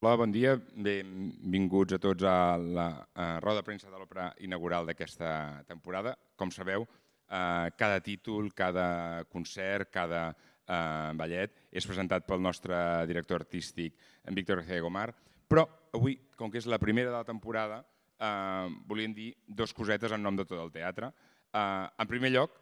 Hola, bon dia. Benvinguts a tots a la roda de premsa de l'òpera inaugural d'aquesta temporada. Com sabeu, cada títol, cada concert, cada ballet és presentat pel nostre director artístic, en Víctor García Gomar, però avui, com que és la primera de la temporada, volíem dir dues cosetes en nom de tot el teatre. En primer lloc,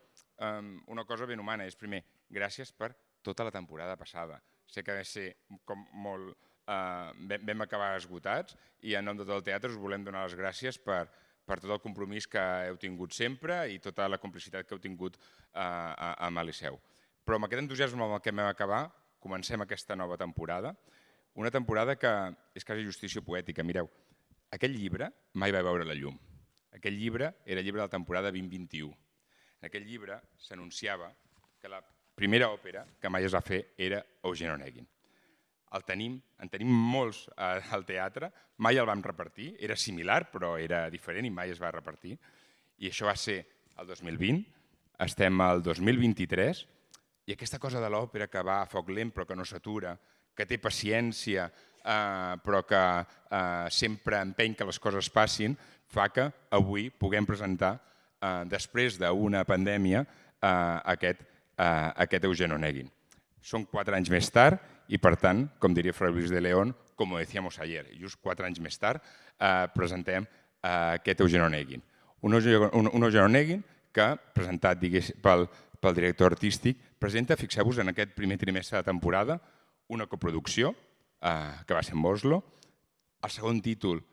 una cosa ben humana és, primer, gràcies per tota la temporada passada. Sé que va ser com molt... Vam acabar esgotats i en nom de tot el teatre us volem donar les gràcies per tot el compromís que heu tingut sempre i tota la complicitat que heu tingut amb el Liceu. Però amb aquest entusiasme amb el que vam acabar, comencem aquesta nova temporada, una temporada que és quasi justícia poètica. Mireu, aquell llibre mai va veure la llum. Aquell llibre era el llibre de la temporada 2021. En aquell llibre s'anunciava que la primera òpera que mai es va fer era Eugen Onegin. En tenim molts al teatre, mai el vam repartir, era similar però era diferent i mai es va repartir. I això va ser el 2020, estem al 2023 i aquesta cosa de l'òpera que va a foc lent però que no s'atura, que té paciència però que sempre empeny que les coses passin, fa que avui puguem presentar, després d'una pandèmia, aquest Eugen Onegin. Són 4 anys més tard i, per tant, com diria Fray Luis de León, com decíamos ayer, just 4 anys més tard presentem aquest Eugen Onegin. Un Eugen Onegin que, presentat pel director artístic, presenta, fixeu-vos, en aquest primer trimestre de temporada, una coproducció que va ser en Oslo, el segon títol,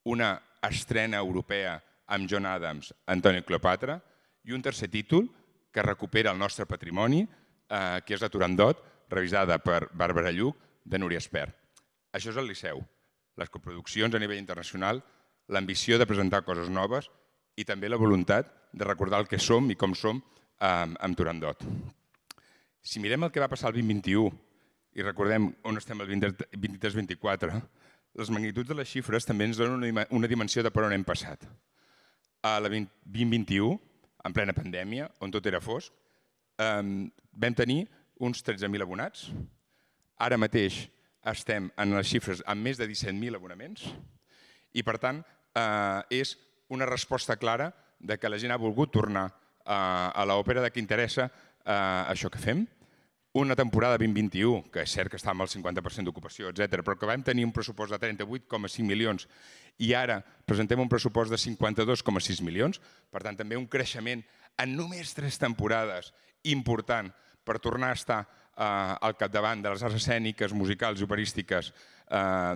una estrena europea amb John Adams, Antoni Cleopatra, i un tercer títol que recupera el nostre patrimoni, que és la Turandot, revisada per Bàrbara Lluch, de Núria Espert. Això és el Liceu, les coproduccions a nivell internacional, l'ambició de presentar coses noves i també la voluntat de recordar el que som i com som amb Turandot. Si mirem el que va passar el 2021 i recordem on estem el 23-24, les magnituds de les xifres també ens donen una dimensió de per on hem passat. A la 2021, en plena pandèmia, on tot era fosc, vam tenir uns 13.000 abonats. Ara mateix estem en les xifres amb més de 17.000 abonaments i, per tant, és una resposta clara de que la gent ha volgut tornar a l'òpera, de que interessa això que fem. Una temporada 2021, que és cert que està amb el 50% d'ocupació, etc., però que vam tenir un pressupost de 38,5 milions i ara presentem un pressupost de 52,6 milions, per tant, també un creixement en només 3 temporades important per tornar a estar al capdavant de les arts escèniques, musicals i operístiques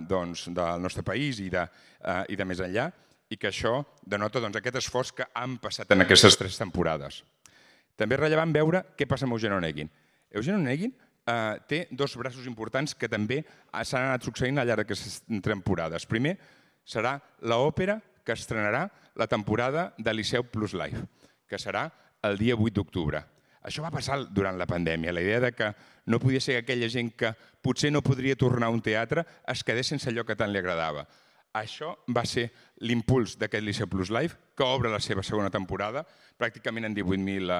del nostre país i de més enllà, i que això denota aquest esforç que han passat en aquestes 3 temporades. També és rellevant veure què passa amb Eugen Onegin. Eugen Onegin té 2 braços importants que també s'han anat succeint al llarg d'aquestes temporades. Primer, serà l'òpera que estrenarà la temporada de Liceu Plus Live, que serà el dia 8 d'octubre. Això va passar durant la pandèmia, la idea que no podia ser que aquella gent que potser no podria tornar a un teatre es quedés sense allò que tant li agradava. Això va ser l'impuls d'aquest Liceu Plus Live, que obre la seva segona temporada, pràcticament en 18.000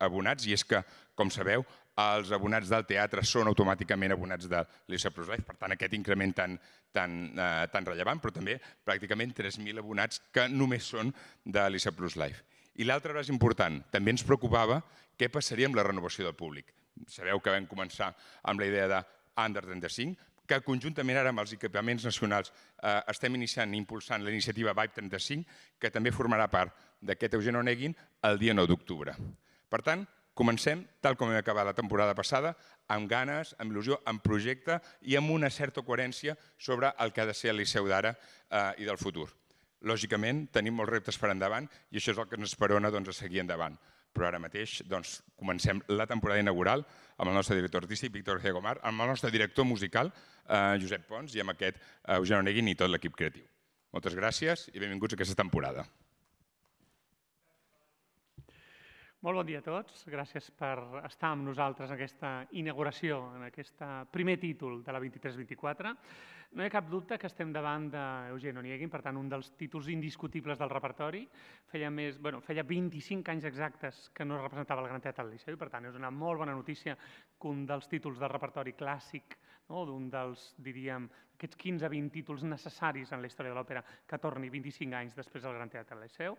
abonats, i és que, com sabeu, els abonats del teatre són automàticament abonats del Liceu Plus Live, per tant, aquest increment tan rellevant, però també pràcticament 3.000 abonats que només són de Liceu Plus Live. I l'altre braç important, també ens preocupava què passaria amb la renovació del públic. Sabeu que vam començar amb la idea de Under 35, que conjuntament ara amb els equipaments nacionals estem iniciant i impulsant la iniciativa Vibe 35, que també formarà part d'aquest Eugen Onegin el dia 9 d'octubre. Per tant, comencem, tal com hem acabat la temporada passada, amb ganes, amb il·lusió, amb projecte i amb una certa coherència sobre el que ha de ser el Liceu d'ara i del futur. Lògicament, tenim molts reptes per endavant i això és el que ens esperona a seguir endavant. Però ara mateix comencem la temporada inaugural amb el nostre director artístic, Víctor García Gomar, amb el nostre director musical, Josep Pons, i amb aquest Eugen Onegin i tot l'equip creatiu. Moltes gràcies i benvinguts a aquesta temporada. Molt bon dia a tots. Gràcies per estar amb nosaltres en aquesta inauguració, en aquest primer títol de la 23-24. No hi ha cap dubte que estem davant d'Eugen Onegin, per tant, un dels títols indiscutibles del repertori. Feia 25 anys exactes que no es representava el Gran Teatre del Liceu i, per tant, és una molt bona notícia que un dels títols del repertori clàssic d'un dels, diríem, aquests 15-20 títols necessaris en la història de l'òpera que torni 25 anys després del Gran Teatre del Liceu.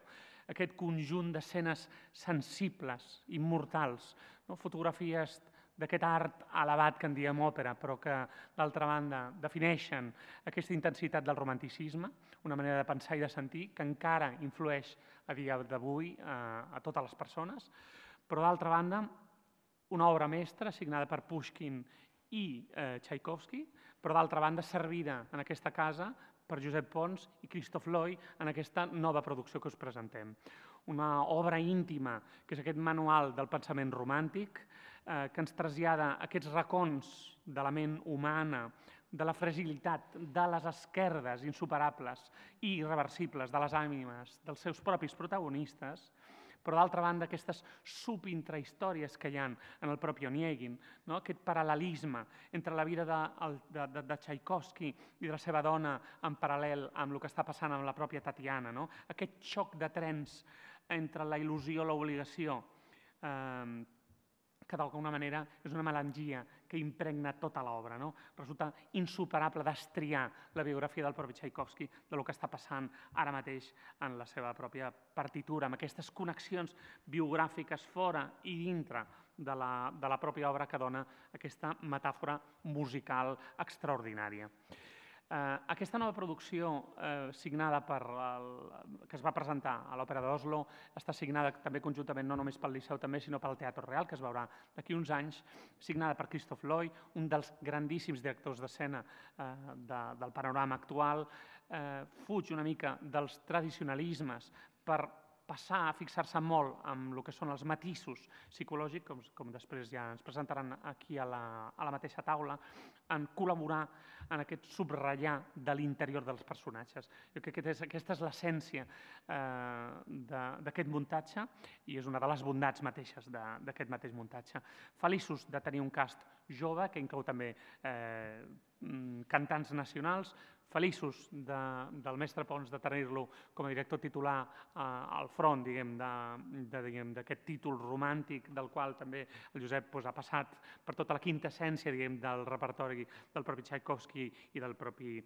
Aquest conjunt d'escenes sensibles, immortals, fotografies d'aquest art elevat que en diem òpera, però que, d'altra banda, defineixen aquesta intensitat del romanticisme, una manera de pensar i de sentir que encara influeix a dia d'avui a totes les persones, però, d'altra banda, una obra mestra signada per Pushkin i Tchaikovsky, però, d'altra banda, servida en aquesta casa per Josep Pons i Christoph Loy en aquesta nova producció que us presentem. Una obra íntima, que és aquest manual del pensament romàntic, que ens trasllada aquests racons de la ment humana, de la fragilitat, de les esquerdes insuperables i irreversibles de les ànimes dels seus propis protagonistes, però d'altra banda aquestes subintrahistòries que hi ha en el propi Onegin, aquest paral·lelisme entre la vida de Tchaikovsky i de la seva dona en paral·lel amb el que està passant amb la pròpia Tatiana, aquest xoc de trens entre la il·lusió i l'obligació, que d'alguna manera és una melangia que impregna tota l'obra. Resulta insuperable destriar la biografia del propi Tchaikovsky del que està passant ara mateix en la seva pròpia partitura, amb aquestes connexions biogràfiques fora i dintre de la pròpia obra que dona aquesta metàfora musical extraordinària. Aquesta nova producció signada que es va presentar a l'Òpera d'Oslo està signada també conjuntament no només pel Liceu també, sinó pel Teatre Real, que es veurà d'aquí uns anys, signada per Christoph Loy, un dels grandíssims directors d'escena del panorama actual, fuig una mica dels tradicionalismes per passar a fixar-se molt en el que són els matisos psicològics, com després ja ens presentaran aquí a la mateixa taula, en col·laborar en aquest subratllar de l'interior dels personatges. Jo crec que aquesta és l'essència d'aquest muntatge i és una de les bondats mateixes d'aquest mateix muntatge. Feliços de tenir un cast jove, que inclou també cantants nacionals, feliços del mestre Pons de tenir-lo com a director titular al front d'aquest títol romàntic del qual també el Josep ha passat per tota la quinta essència del repertori del propi Tchaikovsky i del propi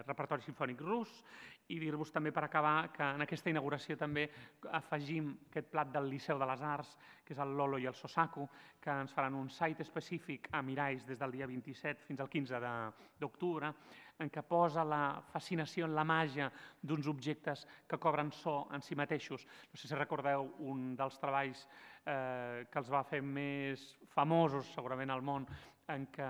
repertori simfònic rus, i dir-vos també per acabar que en aquesta inauguració també afegim aquest plat del Liceu de les Arts, que és el Lolo i el Sosaku, que ens faran un site específic a Miralls des del dia 27 fins al 15 d'octubre, en què posa la fascinació en la màgia d'uns objectes que cobren so en si mateixos. No sé si recordeu un dels treballs que els va fer més famosos segurament al món, en què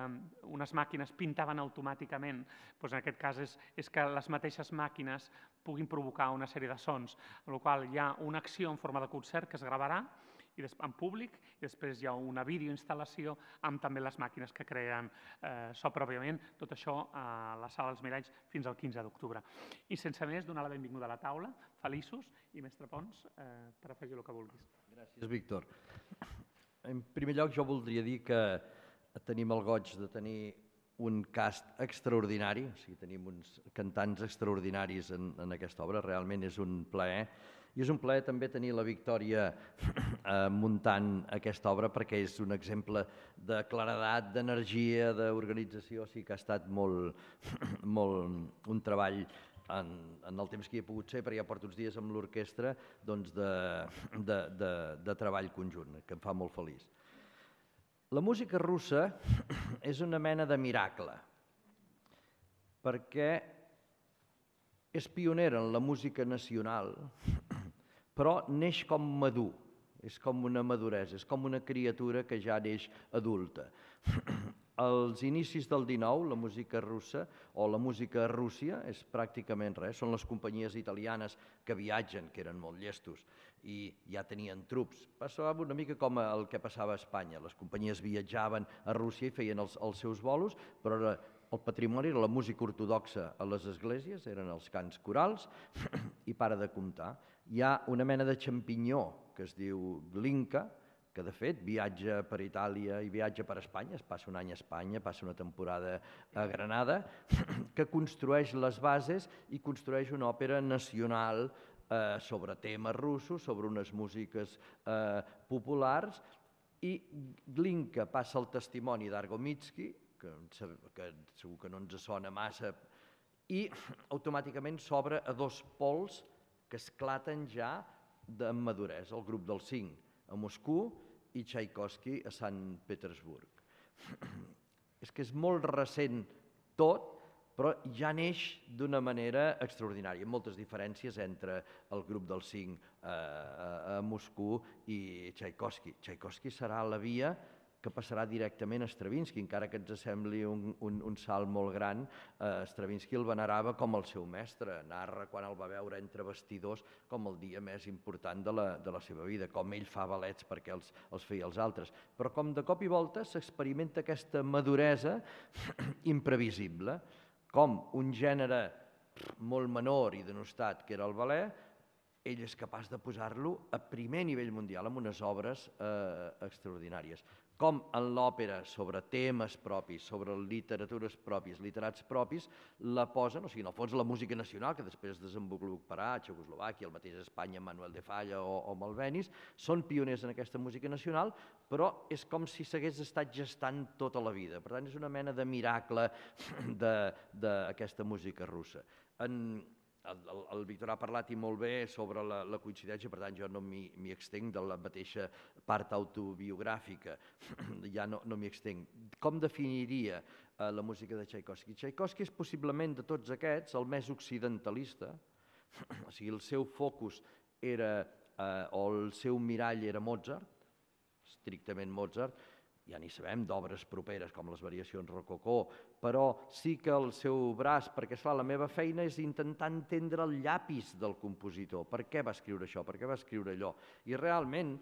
unes màquines pintaven automàticament. En aquest cas és que les mateixes màquines puguin provocar una sèrie de sons, en la qual hi ha una acció en forma de concert que es gravarà en públic i després hi ha una videoinstal·lació amb també les màquines que creen so pròpiament, tot això a la sala dels Miralls fins al 15 d'octubre. I sense més, donar la benvinguda a la taula, feliços, i mestre Pons, per afegir el que vulguis. Gràcies, Víctor. En primer lloc, jo voldria dir que tenim el goig de tenir un cast extraordinari, o sigui, tenim uns cantants extraordinaris en aquesta obra, realment és un plaer. I és un plaer també tenir la Victòria muntant aquesta obra perquè és un exemple de claredat, d'energia, d'organització, o sigui que ha estat molt un treball en el temps que hi he pogut ser, perquè ja porto uns dies amb l'orquestra, doncs de treball conjunt, que em fa molt feliç. La música russa és una mena de miracle, perquè és pionera en la música nacional, però neix com madur, és com una maduresa, és com una criatura que ja neix adulta. Als inicis del XIX, la música russa o la música a Rússia és pràcticament res, són les companyies italianes que viatgen, que eren molt llestos, i ja tenien trups. Passava una mica com el que passava a Espanya, les companyies viatjaven a Rússia i feien els seus bolos, però el patrimoni era la música ortodoxa a les esglésies, eren els cants corals, i para de comptar. Hi ha una mena de xampinyó que es diu Glinka, que de fet viatja per Itàlia i viatja per Espanya, es passa un any a Espanya, passa una temporada a Granada, que construeix les bases i construeix una òpera nacional sobre temes russos, sobre unes músiques populars, i Glinka passa el testimoni d'Argomitsky, que segur que no ens sona massa, i automàticament s'obre a dos pols que esclaten ja de maduresa, el grup dels 5 a Moscou i Tchaikovsky a Sant Petersburg. És que és molt recent tot, però ja neix d'una manera extraordinària, amb moltes diferències entre el grup dels 5 a Moscou i Tchaikovsky. Tchaikovsky serà la via que passarà directament a Stravinsky, encara que ens sembli un salt molt gran. Stravinsky el venerava com el seu mestre, narra quan el va veure entre vestidors com el dia més important de la seva vida, com ell fa ballets perquè els feia els altres. Però com de cop i volta s'experimenta aquesta maduresa imprevisible, com un gènere molt menor i denostat que era el ballet, ell és capaç de posar-lo a primer nivell mundial amb unes obres extraordinàries. Com en l'òpera, sobre temes propis, sobre literatures pròpies, literats propis, la posen, o sigui, en el fons la música nacional, que després es desenvoluparà a Txecoslovàquia, el mateix Espanya, Manuel de Falla o Malvenis, són pioners en aquesta música nacional, però és com si s'hagués estat gestant tota la vida. Per tant, és una mena de miracle d'aquesta música russa. El Víctor ha parlat i molt bé sobre la coincidència, per tant jo no m'hi extenc de la mateixa part autobiogràfica, ja no m'hi extenc. Com definiria la música de Tchaikovsky? Tchaikovsky és possiblement de tots aquests el més occidentalista, o sigui, el seu focus era, o el seu mirall era Mozart, estrictament Mozart, ja n'hi sabem d'obres properes com les variacions rococó, però sí que el seu braç, perquè esclar, la meva feina és intentar entendre el llapis del compositor, per què va escriure això, per què va escriure allò, i realment,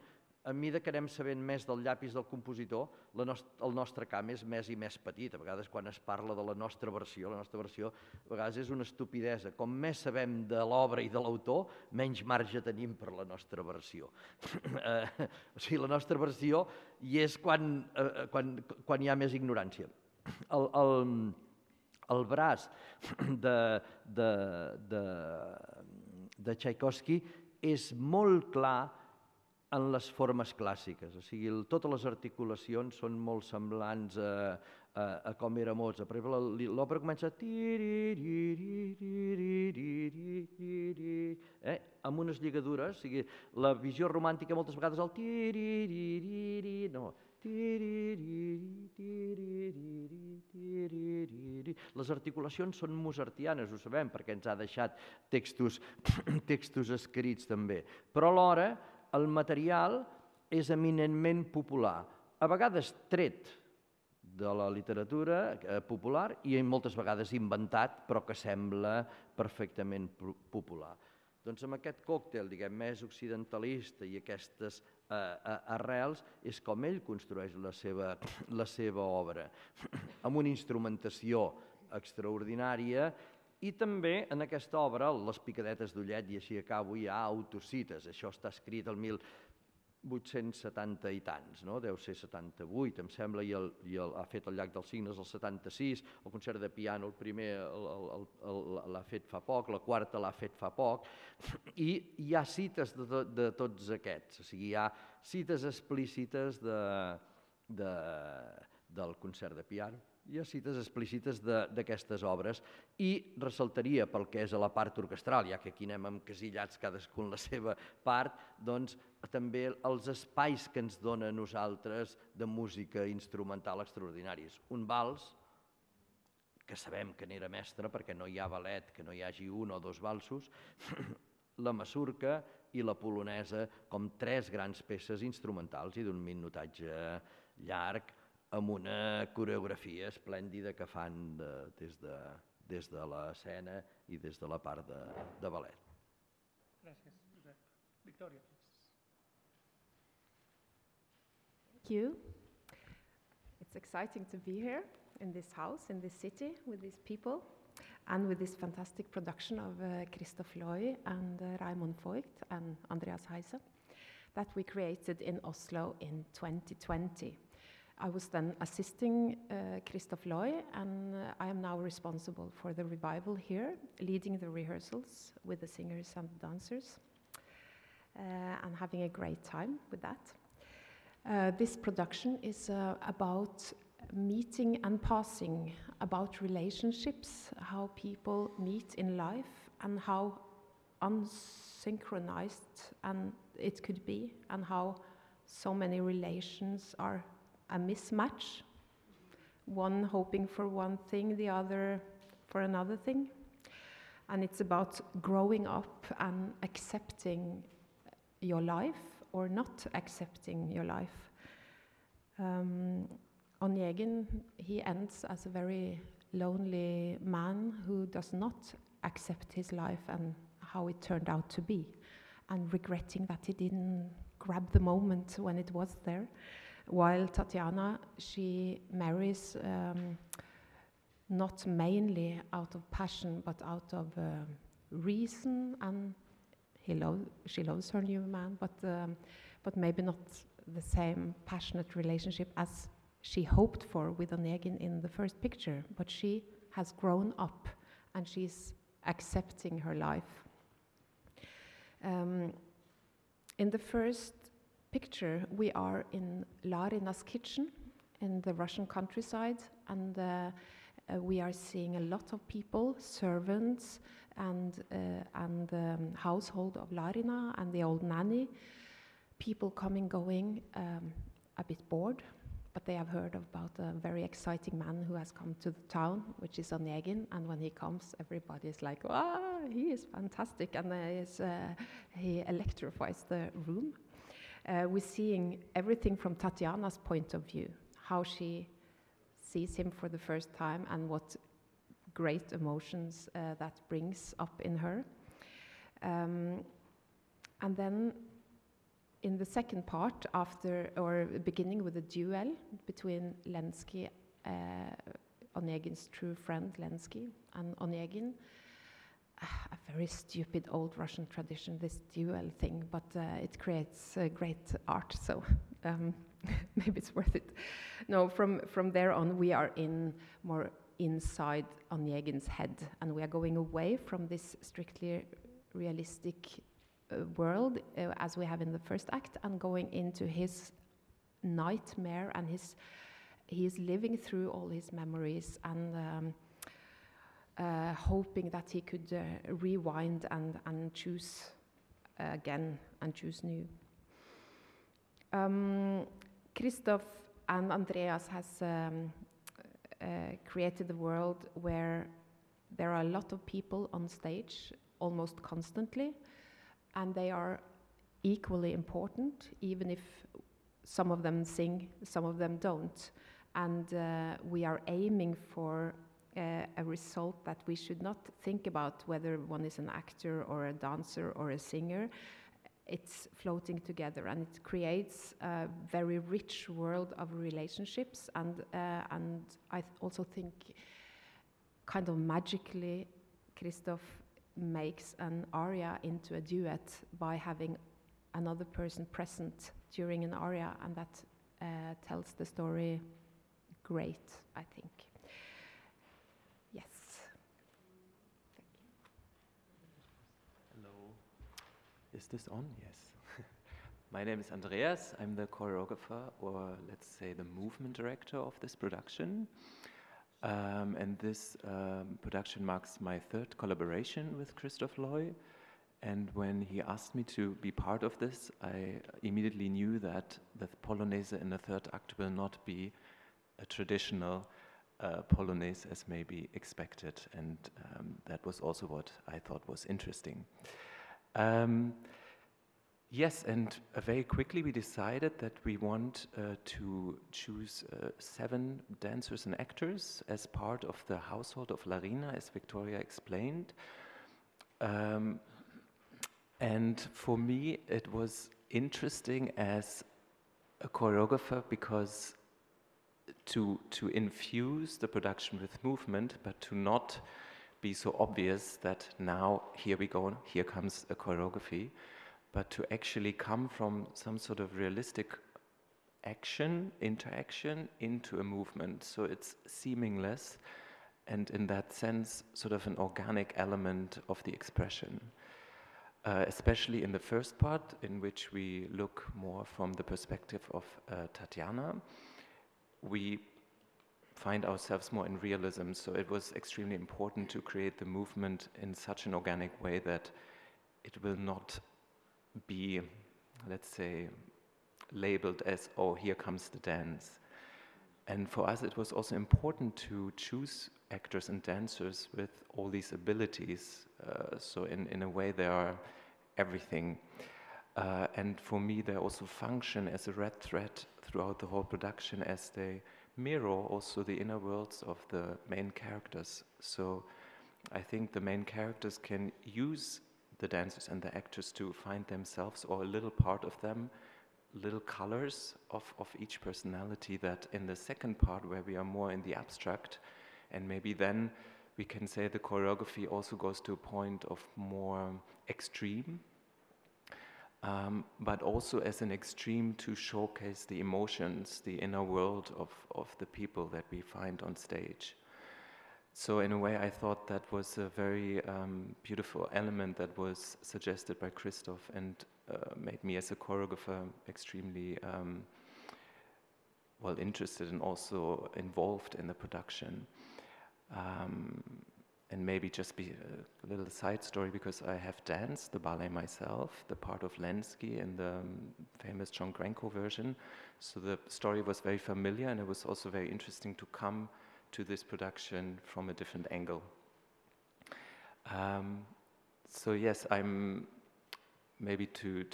a mesura que anem sabent més del llapis del compositor, el nostre camp és més i més petit. A vegades quan es parla de la nostra versió a vegades és una estupidesa. Com més sabem de l'obra i de l'autor, menys marge tenim per la nostra versió. O sigui, la nostra versió hi és quan hi ha més ignorància. El braç de Tchaikovsky és molt clar en les formes clàssiques, o sigui, totes les articulacions són molt semblants a com era Mozart. Per exemple, l'òpera comença amb unes lligadures, o sigui, la visió romàntica moltes vegades el no, les articulacions són mozartianes, ho sabem, perquè ens ha deixat textos escrits també, però alhora el material és eminentment popular, a vegades tret de la literatura popular i moltes vegades inventat, però que sembla perfectament popular. Doncs amb aquest còctel, diguem, més occidentalista i aquestes arrels és com ell construeix la seva obra, amb una instrumentació extraordinària. I també en aquesta obra, les picadetes d'ullet, i així acabo, hi ha autocites. Això està escrit el 1870 i tants, deu ser 78, em sembla, i ha fet el Llac dels Cignes el 76, el concert de piano, el primer l'ha fet fa poc, la quarta l'ha fet fa poc, i hi ha cites de tots aquests, o sigui, hi ha cites explícites del concert de piano, hi ha cites explícites d'aquestes obres i ressaltaria pel que és a la part orquestral, ja que aquí anem encasillats cadascun la seva part, doncs també els espais que ens dona a nosaltres de música instrumental extraordinaris. Un vals, que sabem que n'era mestre perquè no hi ha ballet que no hi hagi un o dos valsos, la masurca i la polonesa com tres grans peces instrumentals i d'un minutatge llarg, amb una coreografia esplèndida que fan des de l'escena i des de la part de ballet. Gràcies, Josep. Victòria, please. Thank you. It's exciting to be here in this house, in this city, with these people, and with this fantastic production of Christoph Loy and Raimund Voigt and Andreas Heise that we created in Oslo in 2020. I was then assisting Christoph Loy, and I am now responsible for the revival here, leading the rehearsals with the singers and the dancers, and having a great time with that. This production is about meeting and passing, about relationships, how people meet in life, and how unsynchronized and it could be, and how so many relations are a mismatch, one hoping for one thing, the other for another thing. And it's about growing up and accepting your life or not accepting your life. Onegin, he ends as a very lonely man who does not accept his life and how it turned out to be, and regretting that he didn't grab the moment when it was there. While Tatiana, she marries not mainly out of passion, but out of reason, and she loves her new man, but maybe not the same passionate relationship as she hoped for with Onegin in the first picture. But she has grown up, and she's accepting her life. In the first picture, we are in Larina's kitchen in the Russian countryside, and we are seeing a lot of people, servants, and household of Larina and the old nanny. People coming, going, a bit bored, but they have heard about a very exciting man who has come to the town, which is Onegin, and when he comes, everybody is like, wow, he is fantastic, and he electrifies the room. We're seeing everything from Tatiana's point of view, how she sees him for the first time and what great emotions that brings up in her. And then in the second part, beginning with a duel between Lenski, Onegin's true friend Lenski, and Onegin, a very stupid old Russian tradition, this duel thing, but it creates great art, so maybe it's worth it. No, from there on, we are more inside Onegin's head, and we are going away from this strictly realistic world as we have in the first act, and going into his nightmare, and he is living through all his memories, and hoping that he could rewind and choose again and choose new. Christoph and Andreas has created a world where there are a lot of people on stage almost constantly, and they are equally important, even if some of them sing, some of them don't. And we are aiming for a result that we should not think about whether one is an actor or a dancer or a singer. It's floating together, and it creates a very rich world of relationships, and I also think kind of magically Christoph makes an aria into a duet by having another person present during an aria, and that tells the story great, I think. Yes. Thank you. Hello. Is this on? Yes. My name is Andreas. I'm the choreographer, or let's say the movement director of this production. And this production marks my third collaboration with Christoph Loy. And when he asked me to be part of this, I immediately knew that the Polonaise in the third act will not be a traditional Polonaise as may be expected. And that was also what I thought was interesting. Yes, and very quickly we decided that we want to choose 7 dancers and actors as part of the household of Larina, as Victoria explained. And for me, it was interesting as a choreographer because to infuse the production with movement, but to not be so obvious that now, here we go, here comes a choreography, but to actually come from some sort of realistic interaction into a movement. So it's seamless, and in that sense, sort of an organic element of the expression. Especially in the first part, in which we look more from the perspective of Tatiana, we find ourselves more in realism. So it was extremely important to create the movement in such an organic way that it will not be, let's say, labeled as, oh, here comes the dance. And for us, it was also important to choose actors and dancers with all these abilities. So in a way, they are everything. And for me, they also function as a red thread throughout the whole production, as they mirror also the inner worlds of the main characters. So I think the main characters can use the dancers and the actors to find themselves, or a little part of them, little colors of each personality, that in the second part, where we are more in the abstract, and maybe then we can say the choreography also goes to a point of more extreme, but also as an extreme to showcase the emotions, the inner world of the people that we find on stage. So in a way, I thought that was a very beautiful element that was suggested by Christoph, and made me as a choreographer extremely well interested and also involved in the production. And maybe just be a little side story, because I have danced the ballet myself, the part of Lenski in the famous John Grenko version. So the story was very familiar, and it was also very interesting to come to this production from a different angle. So yes, I'm maybe to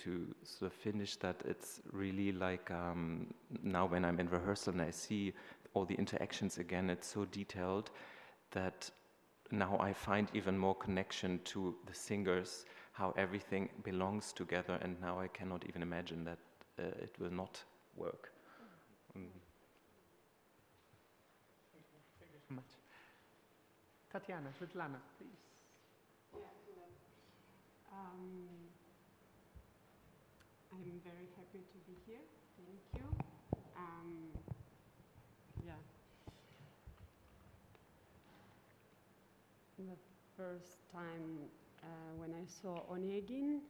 sort of finish that, it's really like now when I'm in rehearsal and I see all the interactions again, it's so detailed that now I find even more connection to the singers, how everything belongs together, and now I cannot even imagine that it will not work. Thank you so much. Tatiana, Svetlana, please. I'm very happy to be here. Thank you. Yeah. The first time when I saw Onegin,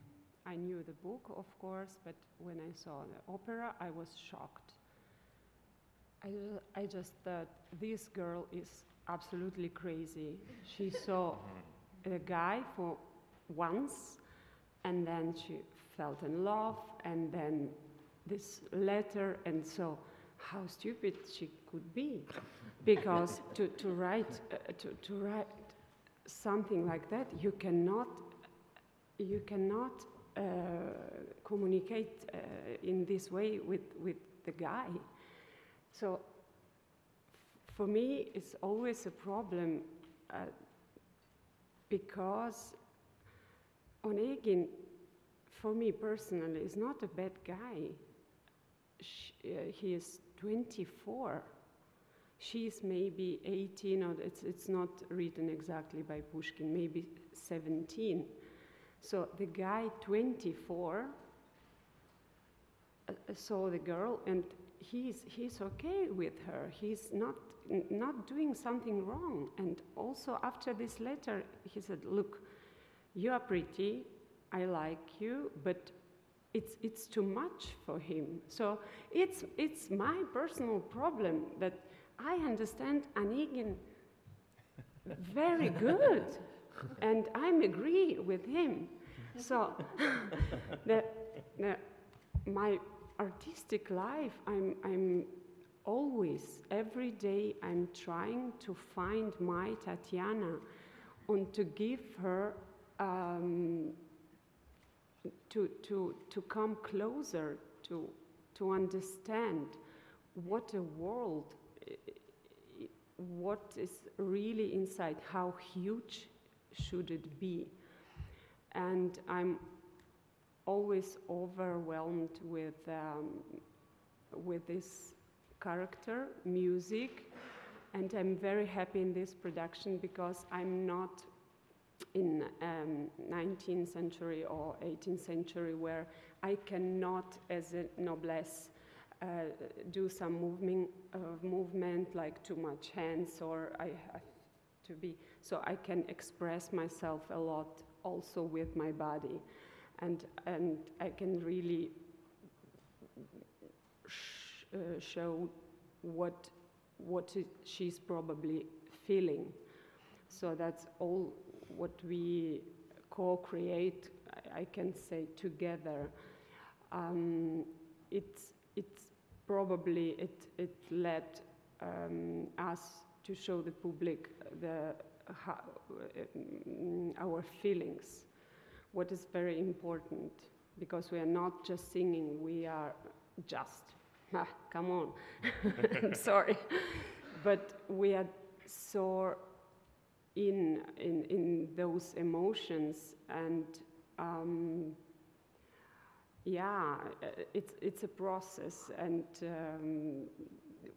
I knew the book, of course, but when I saw the opera, I was shocked. I just thought, this girl is absolutely crazy. She saw a guy for once, and then she fell in love, and then this letter, and so how stupid she could be, because to write something like that, you cannot communicate in this way with the guy. So for me, it's always a problem because Onegin, for me personally, is not a bad guy. He is 24. She's maybe 18, or it's not written exactly by Pushkin, maybe 17. So the guy, 24, saw the girl, and he's okay with her. He's not doing something wrong. And also after this letter, he said, "Look, you are pretty, I like you, but it's too much for him." So it's my personal problem that I understand Onegin very good, and I agree with him. So my artistic life, I'm always, every day, I'm trying to find my Tatiana and to give her to come closer, to understand what a world, what is really inside, how huge should it be. And I'm always overwhelmed with this character, music, and I'm very happy in this production because I'm not in 19th century or 18th century where I cannot, as a noblesse, do some movement like too much hands, or I have to be, so I can express myself a lot also with my body, and I can really show what she's probably feeling. So that's all what we co-create, I can say, together. It's probably, it led us to show the public our feelings, what is very important, because we are not just singing, we are just, come on, I'm sorry, but we are so in those emotions, and yeah, it's a process, and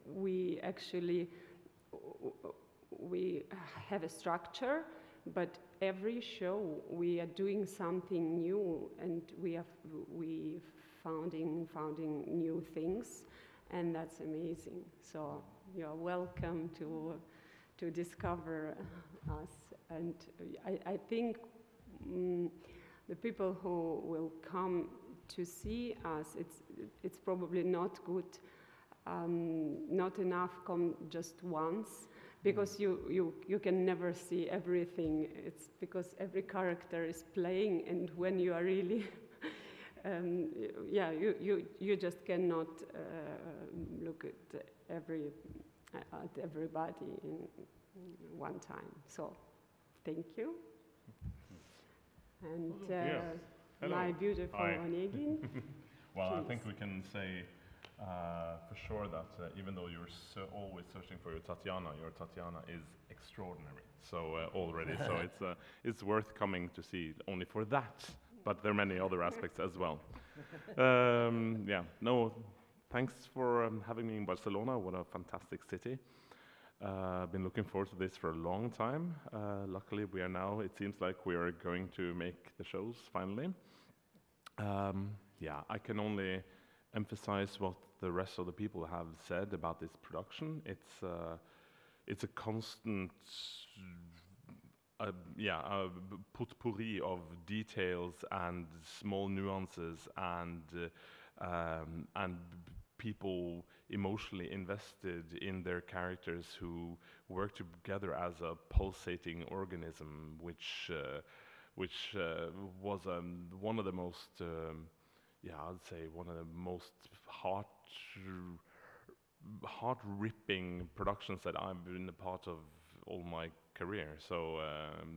we actually we have a structure, but every show we are doing something new, and we founding new things, and that's amazing. So you're welcome to discover us, and I think the people who will come to see us, it's probably not good, not enough come just once, because you can never see everything. It's because every character is playing, and when you are really, yeah, you just cannot look at everybody in one time. So, thank you. And my beautiful Onegin. Well, I think we can say for sure that even though you're always searching for your Tatiana is extraordinary. So already, so it's worth coming to see only for that. But there are many other aspects as well. Yeah, no, thanks for having me in Barcelona. What a fantastic city. I've been looking forward to this for a long time. Luckily, we are now, it seems like we are going to make the shows finally. Yeah, I can only emphasize what the rest of the people have said about this production. It's a constant, potpourri of details and small nuances and people emotionally invested in their characters who work together as a pulsating organism, which was one of the most, I'd say one of the most heart-ripping productions that I've been a part of all my career. So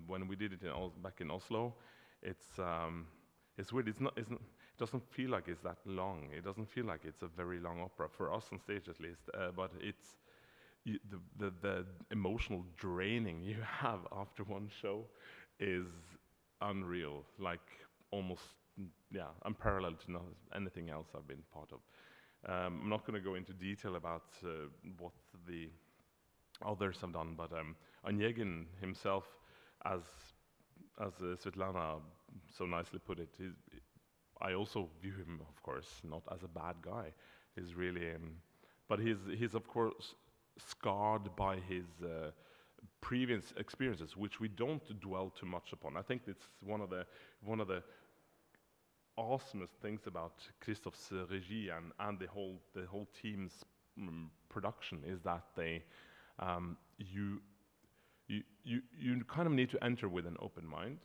when we did it back in Oslo, it's weird. It doesn't feel like it's that long. It doesn't feel like it's a very long opera for us on stage, at least. But it's the emotional draining you have after one show is unreal. Like almost, unparalleled to anything else I've been part of. I'm not going to go into detail about what the others have done, but Onegin himself, as Svetlana so nicely put it, I also view him, of course, not as a bad guy. He's really, but he's of course scarred by his previous experiences, which we don't dwell too much upon. I think it's one of the awesomest things about Christoph's regie and the whole team's production is that they you kind of need to enter with an open mind,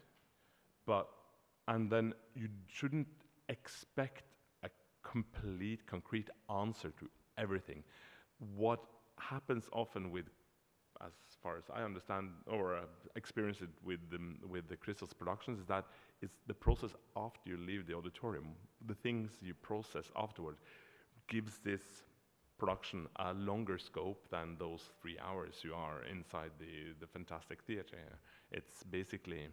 and then you shouldn't expect a concrete answer to everything. What happens often with, as far as I understand or experience it with the Christoph's productions, is that it's the process after you leave the auditorium, the things you process afterward, gives this production a longer scope than those 3 hours you are inside the fantastic theater. It's basically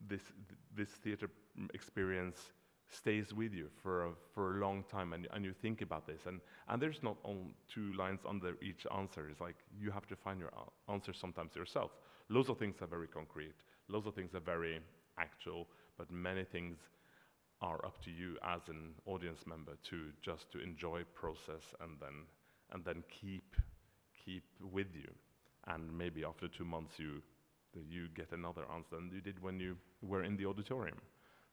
this theater experience stays with you for a long time, and you think about this, and there's not only 2 lines under each answer. It's like you have to find your answer sometimes yourself. Loads of things are very concrete, loads of things are very actual, but many things are up to you as an audience member to enjoy process and then keep with you, and maybe after 2 months you get another answer than you did when you were in the auditorium.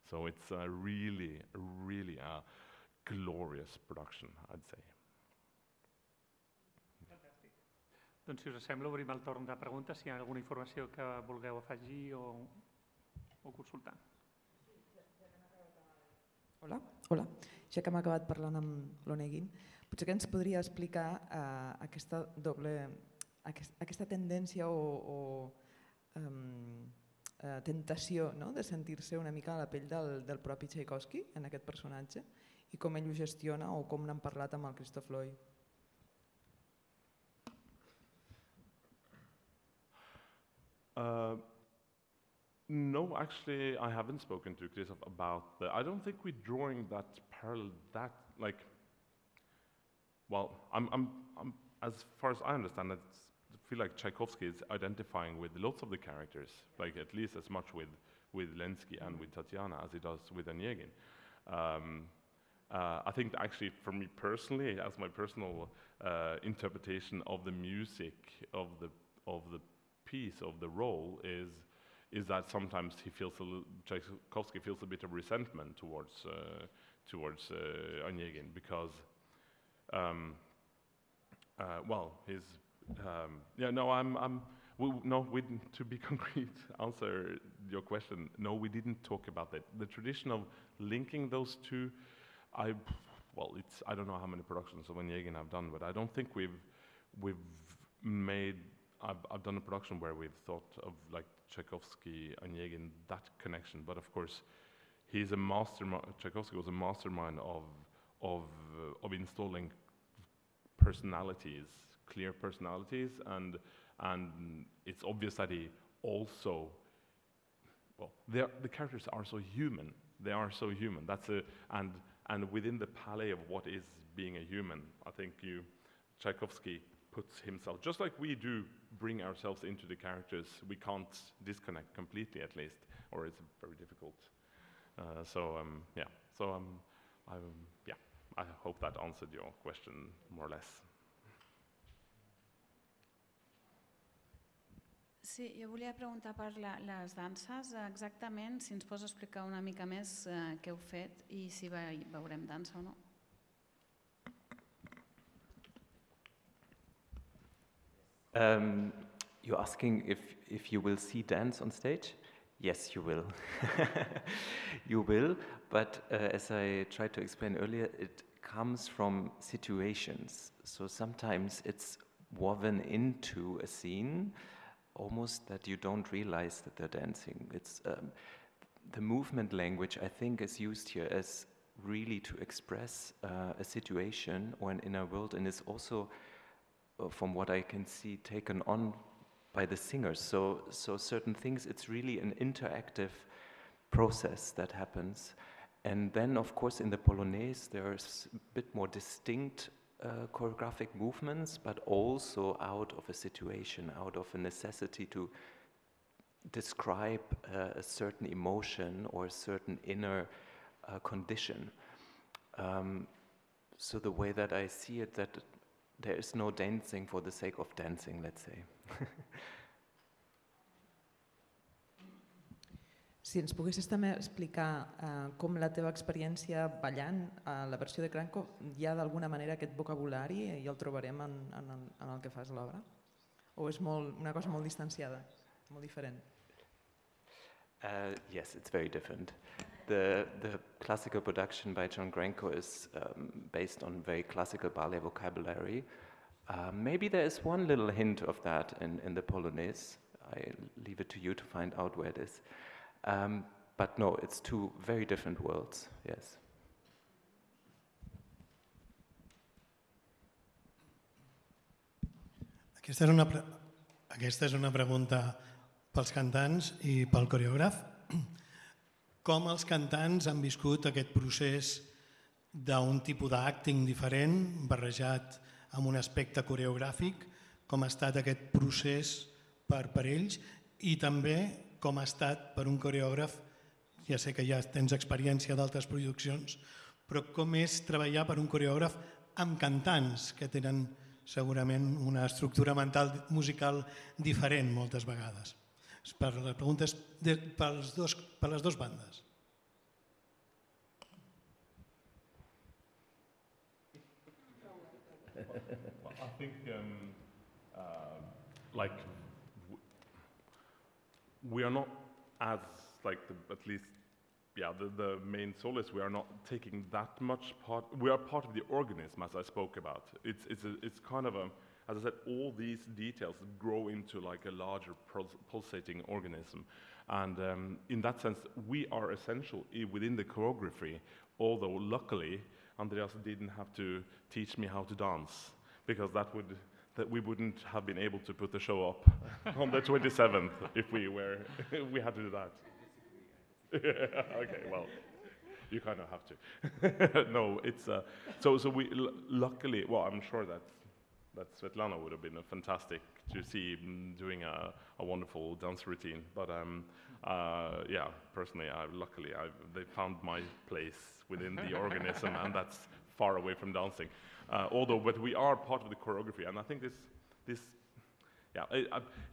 So it's really a glorious production, I'd say. Fantastic. Doncs, si us sembla, obrim el torn de preguntes, si hi ha alguna informació que vulgueu afegir o consultar. Hola, ja que hem acabat parlant amb l'Onegin, potser que ens podria explicar aquesta tendència o tentació de sentir-se una mica a la pell del propi Tchaikovsky en aquest personatge i com ell ho gestiona o com n'han parlat amb el Christoph Loy. No, actually, I haven't spoken to Christoph about that. I don't think we're drawing that parallel. As far as I understand it, I feel like Tchaikovsky is identifying with lots of the characters, like at least as much with Lenski and with Tatiana as he does with Onegin. I think actually, for me personally, as my personal interpretation of the music of the piece, of the role, is that sometimes Tchaikovsky feels a bit of resentment towards Onegin because, to be concrete, answer your question. No, we didn't talk about that. The tradition of linking those two, I don't know how many productions of Onegin I've done, but I don't think we've made. I've done a production where we've thought of like Tchaikovsky, Onegin, that connection. But of course, he's a mastermind. Tchaikovsky was a mastermind of installing personalities, clear personalities, and it's obvious that he also. Well, the characters are so human. They are so human. And within the palette of what is being a human, I think Tchaikovsky puts himself, just like we do bring ourselves into the characters, we can't disconnect completely at least, or it's very difficult. I hope that answered your question more or less. Sí, jo volia preguntar per les danses, exactament, si ens pots explicar una mica més què heu fet i si veurem dansa o no. You're asking if you will see dance on stage? Yes, you will. You will, but as I tried to explain earlier, it comes from situations. So sometimes it's woven into a scene, almost that you don't realize that they're dancing. It's the movement language, I think, is used here as really to express a situation or an inner world, and is also, from what I can see, taken on by the singers. So certain things, it's really an interactive process that happens. And then, of course, in the Polonaise, there's a bit more distinct choreographic movements, but also out of a situation, out of a necessity to describe a certain emotion or a certain inner condition. So the way that I see it, that there is no dancing for the sake of dancing, let's say. Si ens poguessis també explicar com la teva experiència ballant a la versió de Cranco, hi ha d'alguna manera aquest vocabulari i el trobarem en el que fas l'obra? O és una cosa molt distanciada, molt diferent? Yes, it's very different. The classical production by John Granco is based on very classical ballet vocabulary. Maybe there is one little hint of that in the Polonaise. I leave it to you to find out where it is. But no, it's two very different worlds, yes. Aquesta és una pregunta pels cantants i pel coreògraf. Com els cantants han viscut aquest procés d'un tipus d'acting diferent, barrejat amb un aspecte coreogràfic, com ha estat aquest procés per ells i també com ha estat per un coreògraf, ja sé que ja tens experiència d'altres produccions, però com és treballar per un coreògraf amb cantants que tenen segurament una estructura mental musical diferent moltes vegades. La pregunta és per les dues bandes. I think like, we are not as, like, at least, yeah, the main soloist, we are not taking that much part. We are part of the organism, as I spoke about. It's kind of a, as I said, all these details grow into like a larger pulsating organism. And in that sense, we are essential within the choreography, although luckily, Andreas didn't have to teach me how to dance, because that we wouldn't have been able to put the show up on the 27th if we had to do that. Okay, well, you kind of have to. No, it's so we luckily. Well, I'm sure that Svetlana would have been fantastic to see doing a wonderful dance routine. But yeah, personally, they found my place within the organism, and that's far away from dancing. But we are part of the choreography, and I think this. Yeah,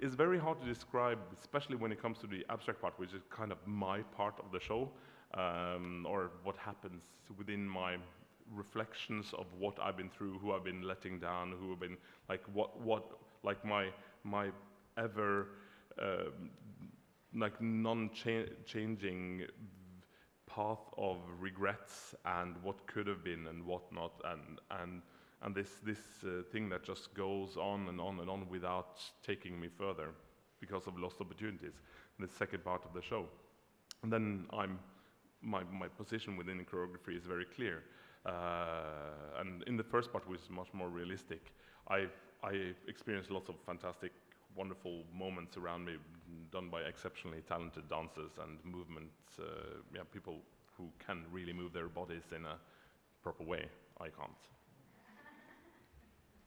it's very hard to describe, especially when it comes to the abstract part, which is kind of my part of the show, or what happens within my reflections of what I've been through, who I've been letting down, who have been like like my ever like non-changing path of regrets and what could have been and what not, and this thing that just goes on and on and on without taking me further because of lost opportunities. In the second part of the show, and then my position within the choreography is very clear. And in the first part, which is much more realistic, I experienced lots of fantastic, wonderful moments around me, done by exceptionally talented dancers and movements. Yeah, people who can really move their bodies in a proper way. I can't.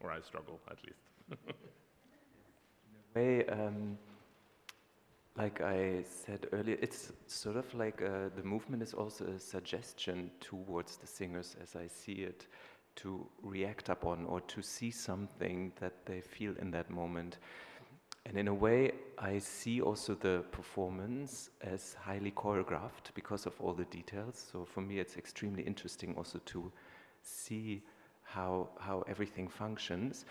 Or I struggle, at least. In a way, like I said earlier, it's sort of like the movement is also a suggestion towards the singers, as I see it, to react upon or to see something that they feel in that moment. And in a way, I see also the performance as highly choreographed because of all the details. So for me, it's extremely interesting also to see how everything functions.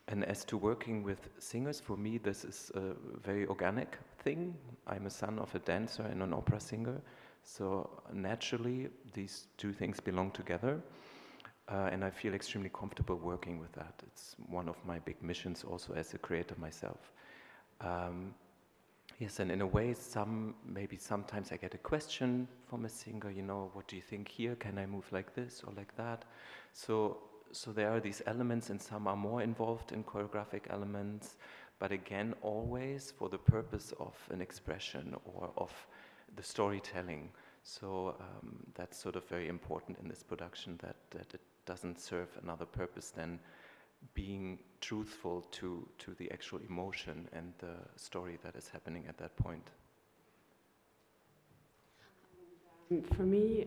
And as to working with singers, for me, this is a very organic thing. I'm a son of a dancer and an opera singer, so naturally, these two things belong together, and I feel extremely comfortable working with that. It's one of my big missions also as a creator myself. Yes, and in a way, maybe sometimes I get a question from a singer, you know, what do you think here? Can I move like this or like that? So there are these elements, and some are more involved in choreographic elements, but again, always for the purpose of an expression or of the storytelling. So that's sort of very important in this production, that it doesn't serve another purpose than being truthful to the actual emotion and the story that is happening at that point. For me,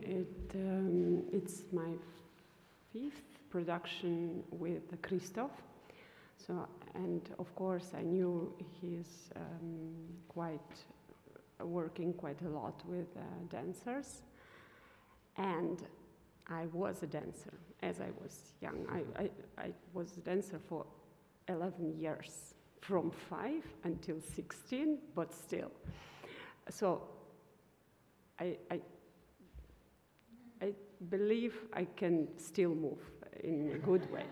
it's my 5th production with Christoph. So, and of course, I knew he's working quite a lot with dancers, and I was a dancer as I was young. I was a dancer for 11 years, from 5 until 16, but still. So I believe I can still move in a good way.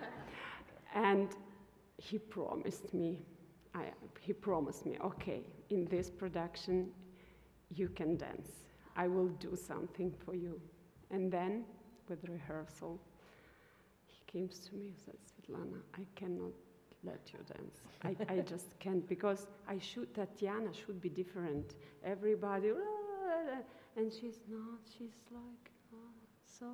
And he promised me, okay, in this production, you can dance. I will do something for you. And then, with rehearsal, he came to me and said, Svetlana, I cannot let you dance. I just can't, because Tatiana should be different. Everybody, and she's not, she's like, so,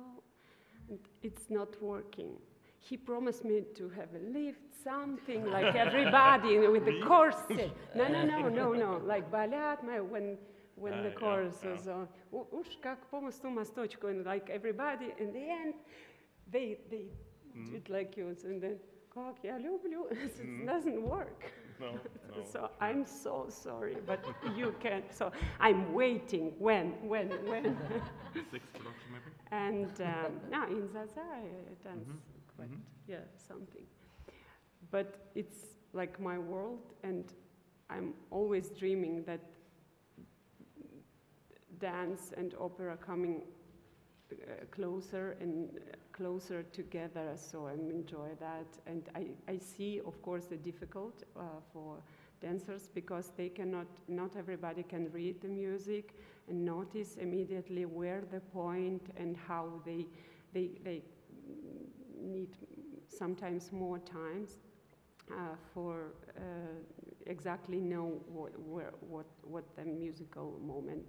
and it's not working. He promised me to have a lift, something like everybody with the corset. No, like ballet, when the chorus is on, and like everybody, in the end, they did like you, and then, как я люблю, it doesn't work. No. So I'm so sorry, but you can. So I'm waiting. When? 6th production, maybe. And no, in Zaza I dance quite, something. But it's like my world, and I'm always dreaming that dance and opera coming closer and closer together, so I enjoy that. And I see, of course, the difficult for dancers, because they not everybody can read the music and notice immediately where the point and how they need sometimes more times for exactly know what the musical moment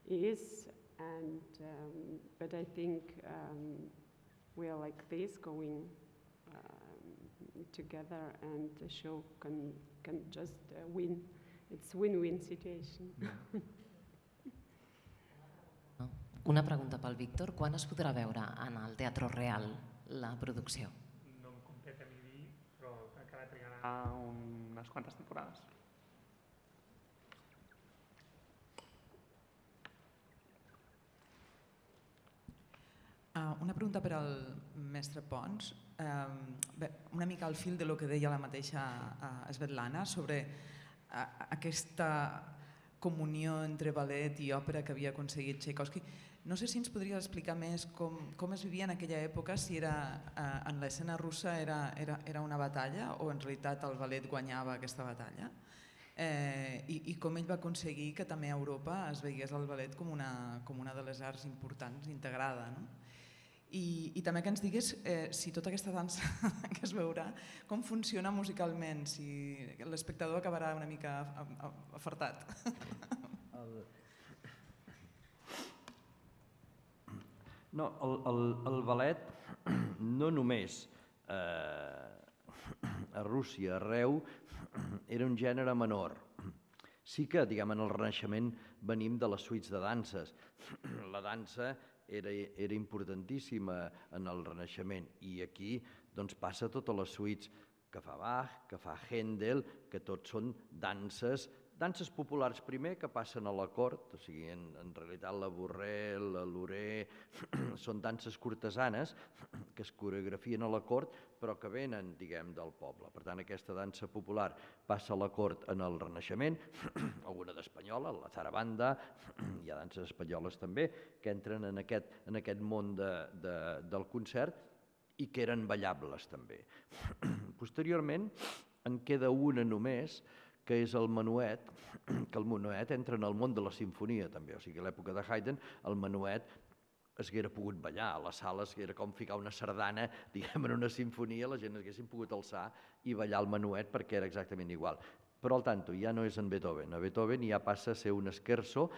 is. And but I think we are like this, going together, and the show can just win. It's win-win situation. Una pregunta pel Víctor. Quan es podrà veure en el Teatro Real la producció? No em compete a mi dir, però encara trigarà unes quantes temporades. Una pregunta per al mestre Pons. Bé, una mica al fil de lo que deia la mateixa Svetlana sobre aquesta comunió entre ballet i òpera que havia aconseguit Tchaikovsky. No sé si ens podria explicar més com es vivia en aquella època, si en l'escena russa era una batalla o en realitat el ballet guanyava aquesta batalla, i com ell va aconseguir que també a Europa es veiés el ballet com una de les arts importants, integrada. I també que ens digués si tota aquesta dansa que es veurà, com funciona musicalment, si l'espectador acabarà una mica afartat. No, el ballet no només a Rússia, arreu, era un gènere menor. Sí que, diguem, en el Renaixement venim de les suites de danses. La dansa era importantíssima en el Renaixement, i aquí doncs, passa totes les suites que fa Bach, que fa Händel, que tots són danses populars primer que passen a la cort, o sigui, en realitat la Borrell, la Loré, són danses cortesanes que es coreografien a la cort però que venen, diguem, del poble. Per tant, aquesta dansa popular passa a la cort en el Renaixement, alguna d'espanyola, la zarabanda, hi ha danses espanyoles també, que entren en aquest món del concert i que eren ballables també. Posteriorment en queda una només, que és el menuet, que el menuet entra en el món de la sinfonia també, o sigui, a l'època de Haydn el menuet es haguera pogut ballar, a les sales era com ficar una sardana, diguem, en una sinfonia, la gent haguessin pogut alçar i ballar el menuet perquè era exactament igual. Però al tanto, ja no és en Beethoven, a Beethoven ja passa a ser un scherzo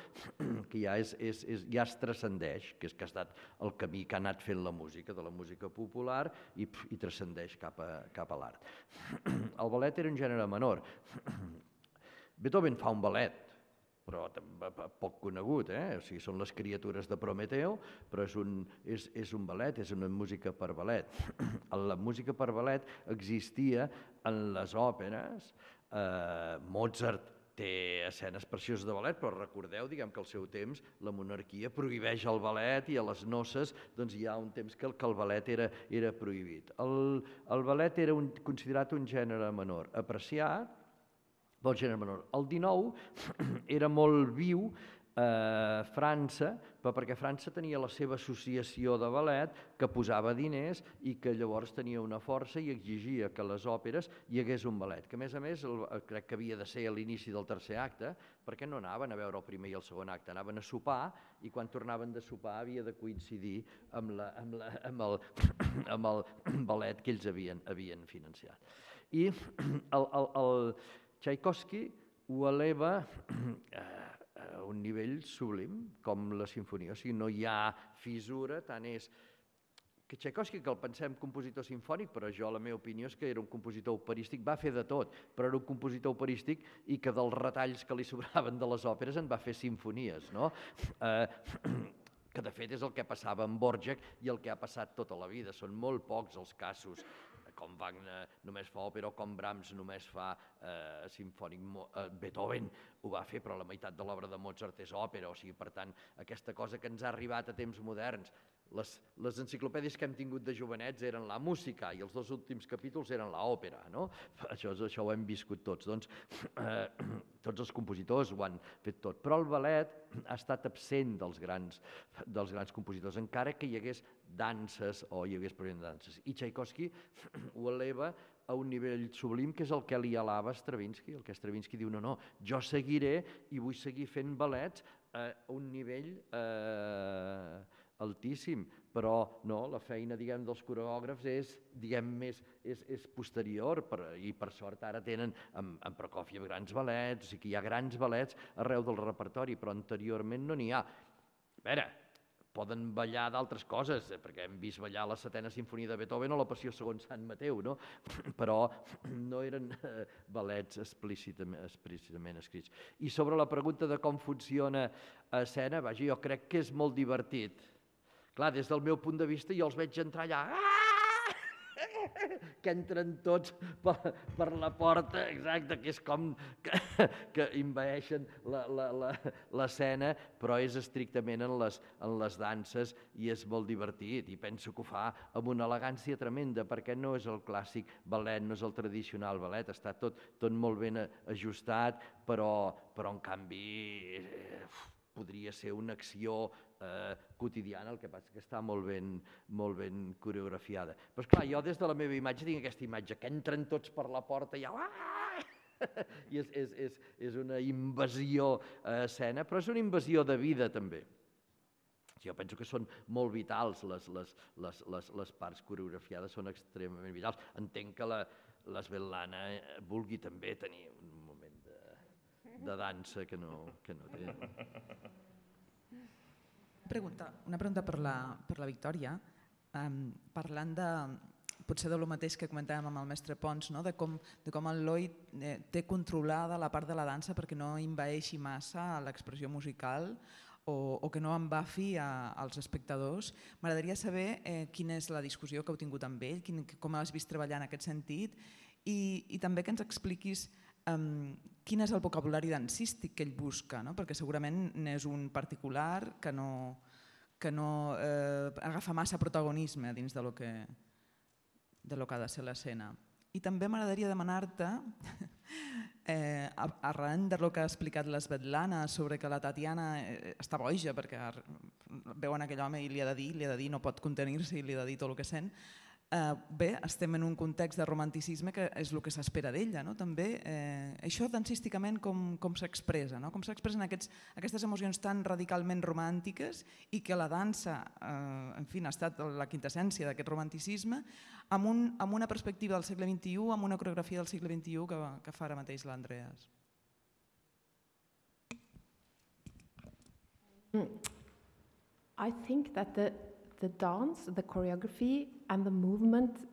que ja es transcendeix, que ha estat el camí que ha anat fent la música, de la música popular, i transcendeix cap a l'art. El ballet era un gènere menor. Beethoven fa un ballet, però poc conegut, o sigui, són les criatures de Prometeo, però és un ballet, és una música per ballet. La música per ballet existia en les òperes. Mozart té escenes precioses de ballet, però recordeu, diguem, que al seu temps la monarquia prohibeix el ballet i a les noces doncs, hi ha un temps que el ballet era prohibit. El ballet era considerat un gènere menor, apreciat, del gènere menor. El 19 era molt viu a França, però perquè França tenia la seva associació de ballet que posava diners i que llavors tenia una força i exigia que a les òperes hi hagués un ballet, que a més crec que havia de ser a l'inici del tercer acte, perquè no anaven a veure el primer i el segon acte, anaven a sopar i quan tornaven de sopar havia de coincidir amb el ballet que ells havien financiat. I el Tchaikovsky ho eleva a un nivell sublim, com la sinfonia. O sigui, no hi ha fissura, tant és que Tchaikovsky, que el pensem compositor sinfònic, però jo, la meva opinió és que era un compositor operístic, va fer de tot, però era un compositor operístic i que dels retalls que li sobraven de les òperes en va fer sinfonies, no? Que de fet és el que passava amb Dvořák i el que ha passat tota la vida. Són molt pocs els casos, com Wagner només fa òpera o com Brahms només fa sinfònic. Beethoven ho va fer, però la meitat de l'obra de Mozart és òpera, o sigui, per tant, aquesta cosa que ens ha arribat a temps moderns. Les enciclopèdies que hem tingut de jovenets eren la música i els 2 últims capítols eren l'òpera, no? Això ho hem viscut tots. Doncs tots els compositors ho han fet tot. Però el ballet ha estat absent dels grans compositors, encara que hi hagués danses o hi hagués present danses. I Tchaikovsky ho eleva a un nivell sublim, que és el que li alaba Stravinsky. El que Stravinsky diu, no, jo seguiré i vull seguir fent ballets a un nivell altíssim, però no, la feina, diguem, dels coreògrafs és, diguem, és posterior, i per sort ara tenen en Prokofiev grans ballets, o sigui que hi ha grans ballets arreu del repertori, però anteriorment no n'hi ha. A veure, poden ballar d'altres coses, perquè hem vist ballar la 7ª Simfonia de Beethoven o la Passió segons Sant Mateu, no? Però no eren ballets explícitament escrits. I sobre la pregunta de com funciona a escena, vaja, jo crec que és molt divertit. Clar, des del meu punt de vista jo els veig entrar allà, que entren tots per la porta, exacte, que és com que envaeixen l'escena, però és estrictament en les danses i és molt divertit, i penso que ho fa amb una elegància tremenda, perquè no és el clàssic ballet, no és el tradicional ballet, està tot molt ben ajustat, però en canvi podria ser una acció quotidiana, el que passa que està molt ben coreografiada. Però esclar, jo des de la meva imatge tinc aquesta imatge, que entren tots per la porta i i és una invasió a escena, però és una invasió de vida també. Jo penso que són molt vitals, les parts coreografiades són extremament vitals. Entenc que la Svetlana vulgui també tenir un moment de dansa que no té. Una pregunta per la Victòria, parlant potser de lo mateix que comentàvem amb el mestre Pons, de com el Lloyd té controlada la part de la dansa perquè no envaeixi massa l'expressió musical o que no embafi als espectadors. M'agradaria saber quina és la discussió que heu tingut amb ell, com l'has vist treballar en aquest sentit, i també que ens expliquis quin és el vocabulari dansístic que ell busca, perquè segurament n'és un particular que no agafa massa protagonisme dins de lo que ha de ser l'escena. I també m'agradaria demanar-te, arran del que ha explicat la Svetlana sobre que la Tatiana està boja perquè veuen aquell home i li ha de dir, no pot contenir-se i li ha de dir tot el que sent. Bé, estem en un context de romanticisme que és el que s'espera d'ella, també. Això dansísticament com s'expressa? Com s'expressen aquestes emocions tan radicalment romàntiques i que la dansa, en fi, ha estat la quintessència d'aquest romanticisme amb una perspectiva del segle XXI, amb una coreografia del segle XXI que fa ara mateix l'Andreas. I think that the dance, the choreography and the movement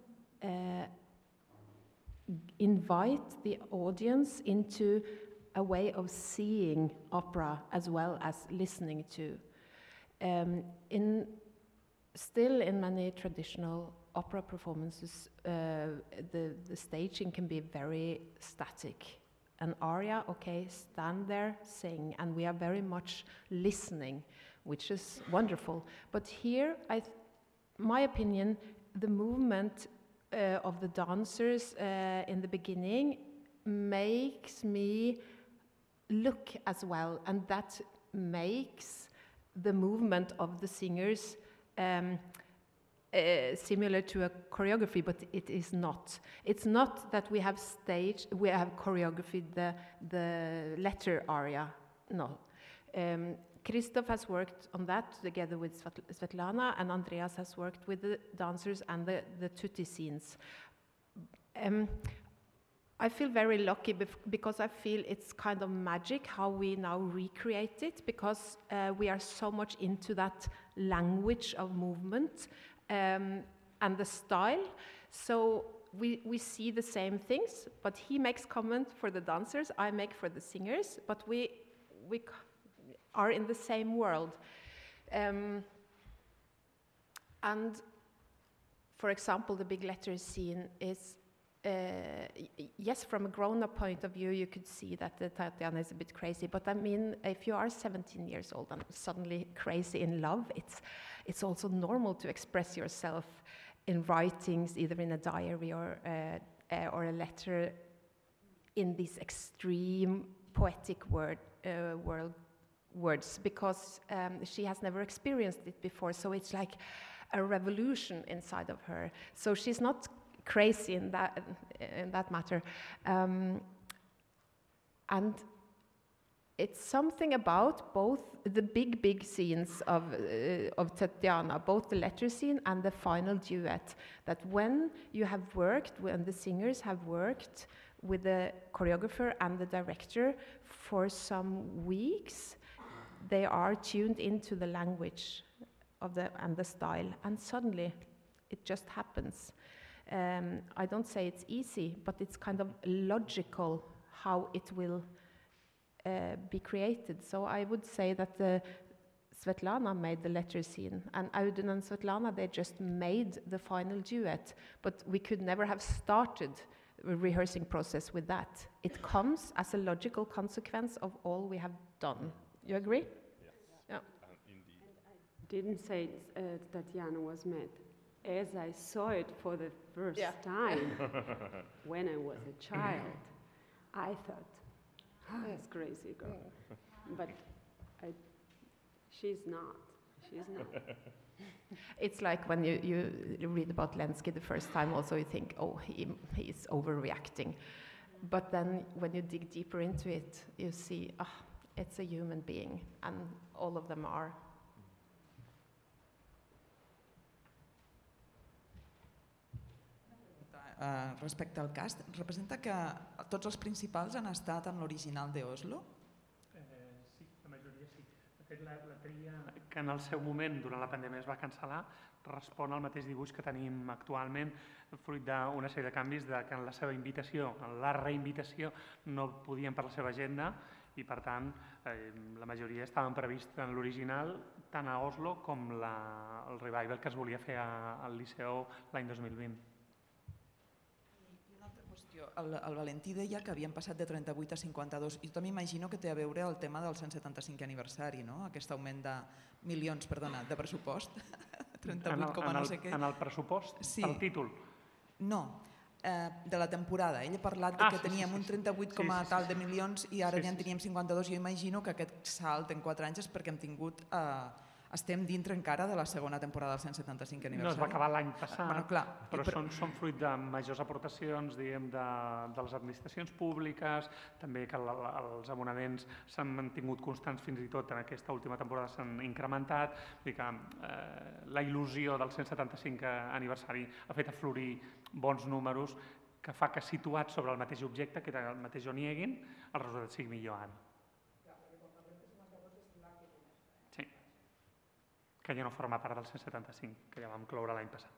invite the audience into a way of seeing opera as well as listening to. Still in many traditional opera performances, the staging can be very static. An aria, okay, stand there, sing, and we are very much listening, which is wonderful. But here, my opinion, the movement of the dancers in the beginning makes me look as well, and that makes the movement of the singers similar to a choreography, but it is not. It's not that we have choreographed the letter aria, no. Christoph has worked on that together with Svetlana, and Andreas has worked with the dancers and the tutti scenes. I feel very lucky because I feel it's kind of magic how we now recreate it, because we are so much into that language of movement and the style. So we see the same things, but he makes comment for the dancers, I make for the singers, but we are in the same world. And for example, the big letter scene is yes, from a grown-up point of view, you could see that Tatiana is a bit crazy. But I mean, if you are 17 years old and suddenly crazy in love, it's also normal to express yourself in writings, either in a diary or a letter, in these extreme poetic words, because she has never experienced it before. So it's like a revolution inside of her. So she's not crazy in that matter, and it's something about both the big scenes of Tatiana, both the letter scene and the final duet, that when the singers have worked with the choreographer and the director for some weeks, they are tuned into the language and the style, and suddenly it just happens. I don't say it's easy, but it's kind of logical how it will be created. So I would say that Svetlana made the letter scene, and Audun and Svetlana, they just made the final duet, but we could never have started a rehearsing process with that. It comes as a logical consequence of all we have done. You agree? Yes. Yeah. Indeed. I didn't say Tatiana was mad. As I saw it for the first time, when I was a child, I thought, this crazy girl. But she's not. She's not. It's like when you read about Lenski the first time, also you think, oh, he's overreacting. But then when you dig deeper into it, you see, it's a human being, and all of them are. Respecte al cast, representa que tots els principals han estat en l'original d'Oslo? Sí, la majoria sí. De fet, la tria que en el seu moment, durant la pandèmia, es va cancel·lar, respon al mateix dibuix que tenim actualment, fruit d'una sèrie de canvis que en la seva invitació, en la reinvitació, no podien per la seva agenda i, per tant, la majoria estaven previstos en l'original, tant a Oslo com el revival que es volia fer al Liceu l'any 2020. El Valentí deia que havien passat de 38 a 52 i també m'imagino que té a veure el tema del 175è aniversari, no? Aquest augment de milions, perdona, de pressupost. 38, no sé què. En el pressupost? Sí. El títol? No, de la temporada. Ell ha parlat que teníem un 38 tal de milions i ara ja en teníem 52. Jo imagino que aquest salt en 4 anys és perquè hem tingut... Estem dintre encara de la segona temporada del 175è aniversari. No, es va acabar l'any passat, clar, però són fruit de majors aportacions, diguem, de les administracions públiques, també que els abonaments s'han mantingut constants fins i tot en aquesta última temporada s'han incrementat, vull dir que la il·lusió del 175è aniversari ha fet aflorir bons números que fa que situat sobre el mateix objecte, que era el mateix Onegin, el resultat sigui millor ara. Que ja no forma part del 175, que ja vam cloure l'any passat.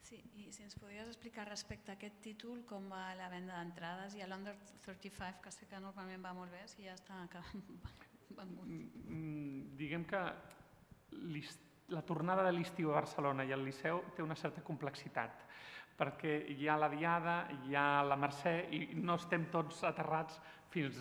Sí, i si ens podries explicar respecte a aquest títol com va la venda d'entrades i a l'Under 35, que sé que normalment va molt bé, si ja està vengut. Diguem que la tornada de l'estiu a Barcelona i al Liceu té una certa complexitat, perquè hi ha la Diada, hi ha la Mercè i no estem tots aterrats fins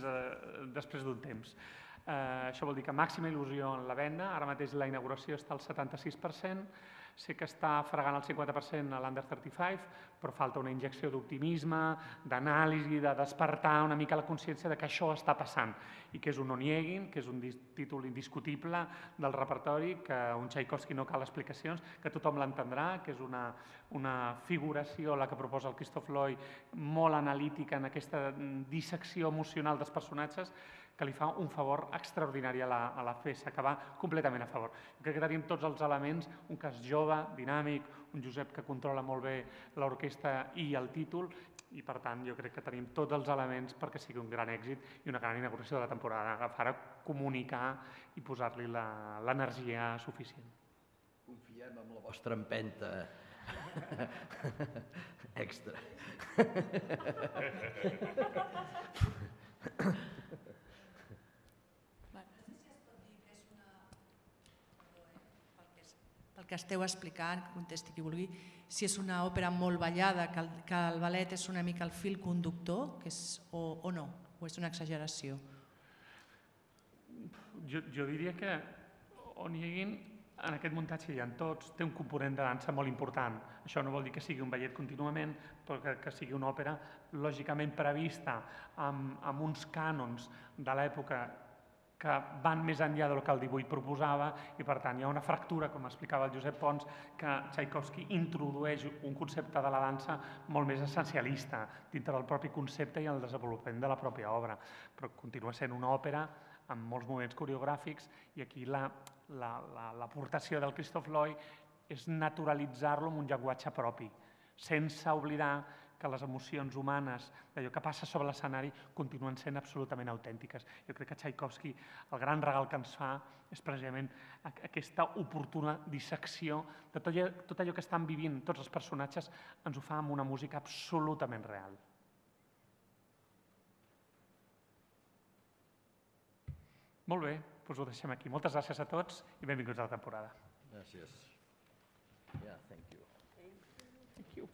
després d'un temps. Això vol dir que màxima il·lusió en la venda, ara mateix la inauguració està al 76%, sé que està fregant el 50% a l'Under 35, però falta una injecció d'optimisme, d'anàlisi, de despertar una mica la consciència de que això està passant i que és un Onegin, que és un títol indiscutible del repertori, que un Tchaikovsky no cal explicacions, que tothom l'entendrà, que és una figuració, la que proposa el Christoph Loy, molt analítica en aquesta dissecció emocional dels personatges, que li fa un favor extraordinari a la peça, que va completament a favor. Crec que tenim tots els elements, un cas jove, dinàmic, un Josep que controla molt bé l'orquestra i el títol, i per tant jo crec que tenim tots els elements perquè sigui un gran èxit i una gran inauguració de la temporada, agafar a comunicar i posar-li l'energia suficient. Confiem en la vostra empenta extra. Pel que esteu explicant, que contesti qui vulgui, si és una òpera molt ballada, que el ballet és una mica el fil conductor, o no, o és una exageració? Jo diria que Onegin, en aquest muntatge hi ha tots, té un component de dansa molt important. Això no vol dir que sigui un ballet contínuament, però que sigui una òpera lògicament prevista amb uns cànons de l'època que van més enllà del que el 18 proposava i, per tant, hi ha una fractura, com explicava el Josep Pons, que Tchaikovsky introdueix un concepte de la dansa molt més essencialista dintre del propi concepte i el desenvolupament de la pròpia obra. Però continua sent una òpera amb molts moviments coreogràfics i aquí l'aportació del Christoph Loy és naturalitzar-lo amb un llenguatge propi, sense oblidar que les emocions humanes, d'allò que passa sobre l'escenari, continuen sent absolutament autèntiques. Jo crec que Tchaikovsky, el gran regal que ens fa, és precisament aquesta oportuna dissecció de tot allò que estan vivint tots els personatges, ens ho fa amb una música absolutament real. Molt bé, doncs ho deixem aquí. Moltes gràcies a tots i benvinguts a la temporada. Gràcies. Yeah, thank you. Thank you.